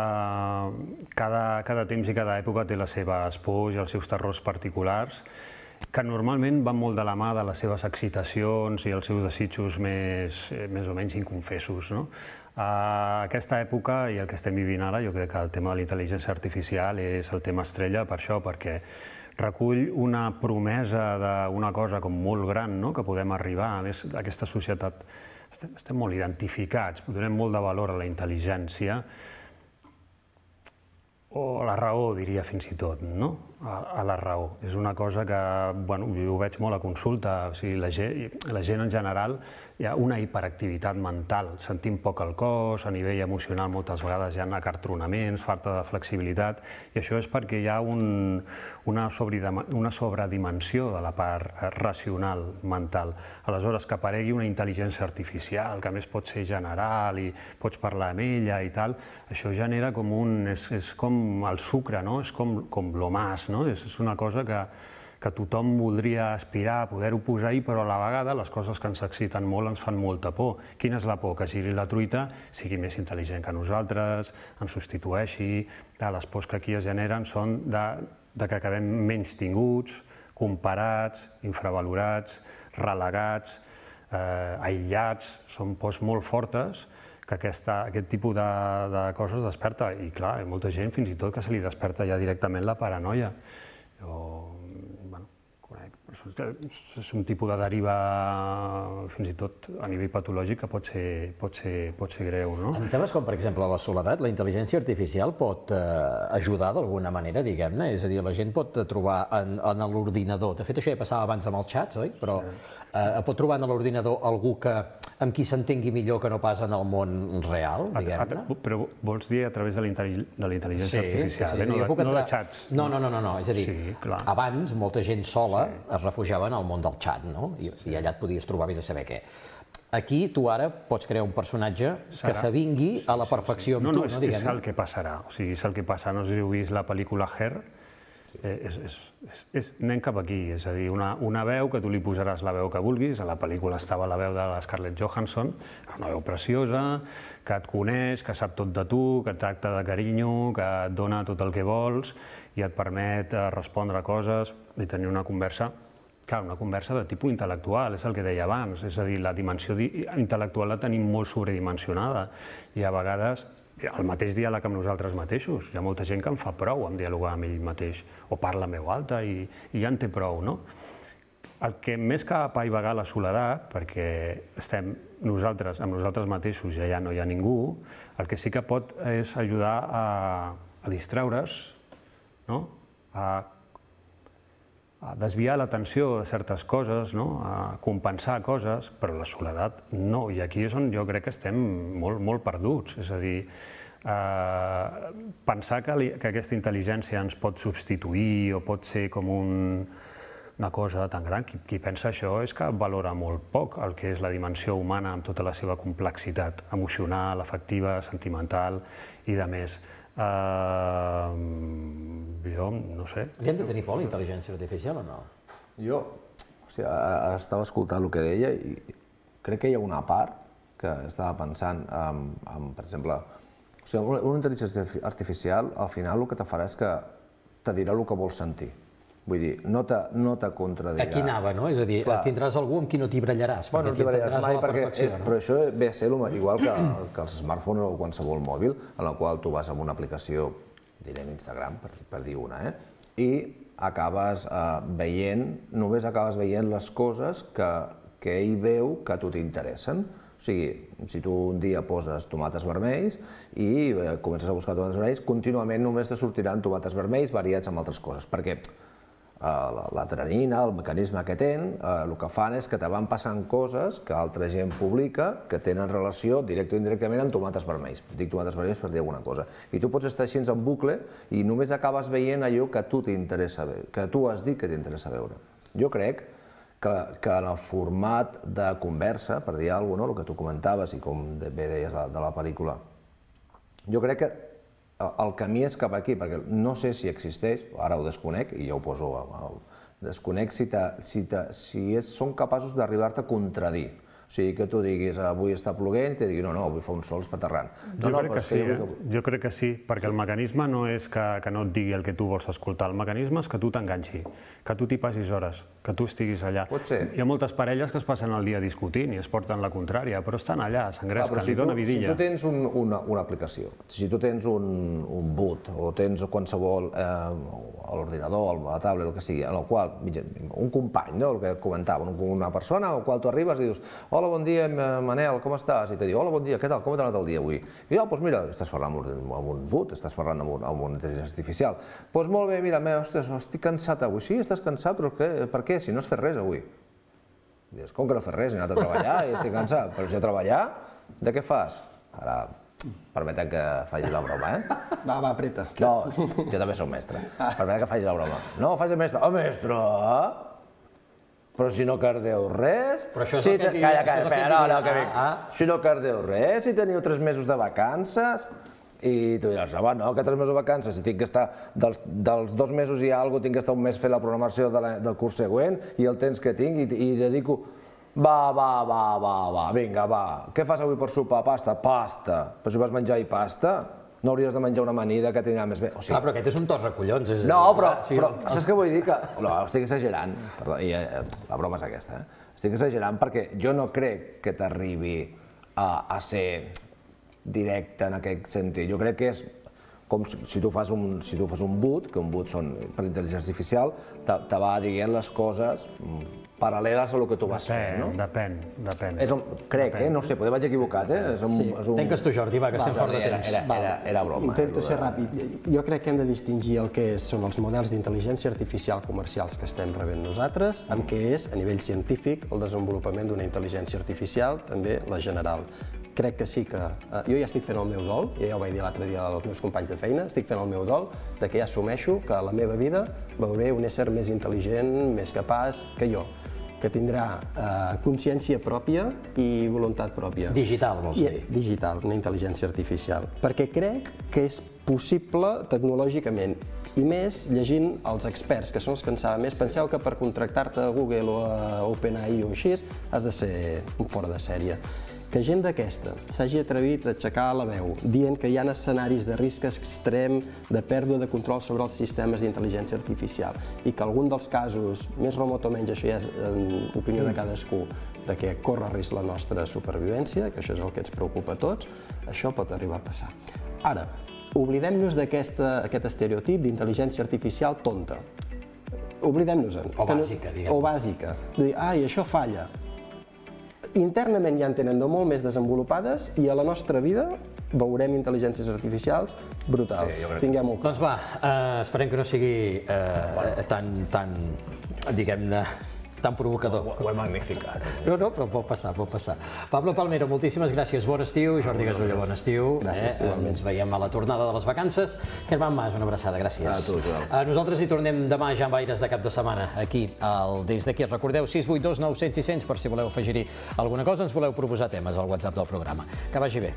cada temps i cada època té les seves pors i els seus terrors particulars, que normalment van molt de la mà de les seves excitacions i els seus desitjos més o menys inconfessos, no? Aquesta època i el que estem vivint ara, jo crec que el tema de la intel·ligència artificial és el tema estrella per això, perquè recull una promesa d'una cosa com molt gran, que podem arribar. A més, aquesta societat estem molt identificats, donem molt de valor a la intel·ligència, o a la raó, diria fins i tot, no? A la raó. És una cosa que, bueno, jo ho veig molt a consulta, o sigui, la gent en general hi ha una hiperactivitat mental, sentim poc el cos, a nivell emocional moltes vegades hi ha acartronaments, falta de flexibilitat, i això és perquè hi ha una sobredimensió de la part racional mental. Aleshores, que aparegui una intel·ligència artificial, que a més pot ser general i pots parlar amb ella i tal, això genera com és com el sucre, no? És com lo más, no? És una cosa que tothom voldria aspirar a poder-ho posar-hi, però a la vegada les coses que ens exciten molt ens fan molta por. Quina és la por? Que sigui la truita, sigui més intel·ligent que nosaltres, ens substitueixi. Les pors que aquí es generen són de que acabem menys tinguts, comparats, infravalorats, relegats, aïllats. Són pors molt fortes que aquest tipus de coses desperta. I clar, hi ha molta gent fins i tot que se li desperta ja directament la paranoia. Jo, bueno, conec És un tipus de deriva, fins i tot a nivell patològic, que pot ser greu, no? En temes com, per exemple, la soledat, la intel·ligència artificial pot ajudar d'alguna manera, diguem-ne? És a dir, la gent pot trobar en l'ordinador, de fet això ja passava abans amb els xats, oi? Però pot trobar en l'ordinador algú amb qui s'entengui millor que no pas en el món real, diguem-ne? Però vols dir a través de la intel·ligència artificial, no de xats? No, és a dir, abans molta gent sola es refugiava en el món del xat, no? I allà et podies trobar vés a saber què. Aquí tu ara pots crear un personatge que s'avingui a la perfecció amb tu, no? És el que passarà, o sigui, és el que passa. No sé si heu vist la pel·lícula Her, anem cap aquí, és a dir, una veu que tu li posaràs la veu que vulguis, a la pel·lícula estava la veu de la Scarlett Johansson, una veu preciosa, que et coneix, que sap tot de tu, que et tracta de carinyo, que et dona tot el que vols i et permet respondre coses i tenir una conversa, clar, una conversa de tipus intel·lectual, és el que deia abans, és a dir, la dimensió intel·lectual la tenim molt sobredimensionada i a vegades el mateix diàleg amb nosaltres mateixos. Hi ha molta gent que en fa prou amb dialogar amb ell mateix, o parla a veu alta i ja en té prou, no? El que més que apaivagar la soledat, perquè estem nosaltres amb nosaltres mateixos i allà no hi ha ningú, el que sí que pot és ajudar a distraure's, no? A desviar l'atenció de certes coses, no? A compensar coses, però la soledat no. I aquí és on jo crec que estem molt perduts. És a dir, pensar que aquesta intel·ligència ens pot substituir o pot ser com una cosa tan gran, qui pensa això és que valora molt poc el que és la dimensió humana amb tota la seva complexitat emocional, afectiva, sentimental i de més. Jo no sé. Li hem de tenir por a la intel·ligència artificial o no? Jo estava escoltant el que deia i crec que hi ha una part que estava pensant per exemple, una intel·ligència artificial al final el que te farà és que te dirà el que vols sentir. Vull dir, no te contradirà. Aquí anava, no? És a dir, tindràs algú amb qui no t'hi barallaràs. No t'hi barallaràs mai, però això ve a ser igual que els smartphones o qualsevol mòbil, en el qual tu vas amb una aplicació, direm Instagram, per dir una, i acabes veient, només acabes veient les coses que ell veu que a tu t'interessen. O sigui, si tu un dia poses tomates vermells i comences a buscar tomates vermells, contínuament només te sortiran tomates vermells variats amb altres coses, perquè l'adrenalina, el mecanisme que tenen, el que fan és que te van passant coses que altra gent publica que tenen relació directe o indirectament amb tomates vermells. Dic tomates vermells per dir alguna cosa. I tu pots estar així en bucle i només acabes veient allò que a tu t'interessa veure, que tu has dit que t'interessa veure. Jo crec que en el format de conversa, per dir alguna cosa, el que tu comentaves i com bé deies de la pel·lícula, jo crec que el camí és cap aquí, perquè no sé si existeix, ara ho desconec i ja ho poso, desconec si són capaços d'arribar-te a contradir. O sigui, que tu diguis, avui està ploguent, i te digui, no, avui fa un sol espeterrant. Jo crec que sí, perquè el mecanisme no és que no et digui el que tu vols escoltar, el mecanisme és que tu t'enganxi, que tu t'hi passis hores, que tu estiguis allà. Pot ser. Hi ha moltes parelles que es passen el dia discutint i es porten la contrària, però estan allà, s'engresquen, li dona vidilla. Si tu tens una aplicació, si tu tens un boot o tens qualsevol, a l'ordinador, a la tablet, el que sigui, en el qual, un company, el que comentava, una persona al qual tu arribes i dius, hola, bon dia, Manel, com estàs? I te diu, hola, bon dia, què tal, com t'ha anat el dia avui? I doncs mira, estàs parlant amb un bot, estàs parlant amb una intel·ligència artificial. Doncs molt bé, mira, ostres, estic cansat avui. Sí, estàs cansat, però per què? Si no has fet res avui. Dius, com que no has fet res? He anat a treballar i estic cansat. Però si a treballar, de què fas? Ara, permetem que faci la broma, Va, apreta. No, jo també soc mestre. Permetem que faci la broma. No, faci mestre. Oh, mestre! Però si no cardeu res... Però això és el que diu... Calla, espera, no, que dic. Si no cardeu res, si teniu 3 mesos de vacances, i tu diràs, home, no, que 3 mesos de vacances, si tinc que estar, dels 2 mesos i alguna cosa, tinc que estar un mes fent la programació del curs següent, i el temps que tinc, i dedico... Va, vinga, va. Què fas avui per sopar? Pasta? Pasta. Però si vas menjar i pasta, no hauries de menjar una amanida que t'anirà més bé. Clar, però aquest és un tot recollons. No, però saps què vull dir? No, estic exagerant. Perdó, la broma és aquesta. Estic exagerant perquè jo no crec que t'arribi a ser directe en aquest sentit. Jo crec que és com si tu fas un boot, que un boot són per intel·ligència artificial, te va dient les coses paral·leles a el que tu vas fent, no? Depèn. Crec, no sé, potser vaig equivocat, Tanques tu, Jordi, va, que estem fort de temps. Era broma. Intento ser ràpid. Jo crec que hem de distingir el que són els models d'intel·ligència artificial comercials que estem rebent nosaltres, amb què és, a nivell científic, el desenvolupament d'una intel·ligència artificial, també la general. Crec que sí que... Jo ja estic fent el meu dol, ja ho vaig dir l'altre dia als meus companys de feina, estic fent el meu dol de que ja assumeixo que a la meva vida veuré un ésser més intel·ligent, més capaç que jo, que tindrà consciència pròpia i voluntat pròpia. Digital, vols dir? Digital, una intel·ligència artificial. Perquè crec que és possible tecnològicament, i més llegint els experts, que són els que en saben més. Penseu que per contractar-te a Google o a OpenAI o així has de ser fora de sèrie. Que gent d'aquesta s'hagi atrevit a aixecar la veu dient que hi ha escenaris de risc extrem, de pèrdua de control sobre els sistemes d'intel·ligència artificial i que algun dels casos, més remot o menys, això ja és opinió de cadascú, de que corre risc la nostra supervivència, que això és el que ens preocupa a tots, això pot arribar a passar. Ara, oblidem-nos d'aquest estereotip d'intel·ligència artificial tonta. Oblidem-nos-en. O bàsica, diguem. O bàsica. De dir, ai, això falla. Internament ja en tenen de molt més desenvolupades i a la nostra vida veurem intel·ligències artificials brutals. Tinguem-ho clar. Doncs va, esperem que no sigui tan, diguem-ne, tan provocador. Ho he magnificat. No, però pot passar. Pablo Palmero, moltíssimes gràcies. Bon estiu. Jordi Gasulla, bon estiu. Gràcies, igualment. Ens veiem a la tornada de les vacances. Germán Mas, una abraçada, gràcies. A tu, Joel. Nosaltres hi tornem demà ja amb aires de cap de setmana, aquí, des d'aquí. Recordeu, 682 900 i 100 per si voleu afegir-hi alguna cosa, ens voleu proposar temes al WhatsApp del programa. Que vagi bé.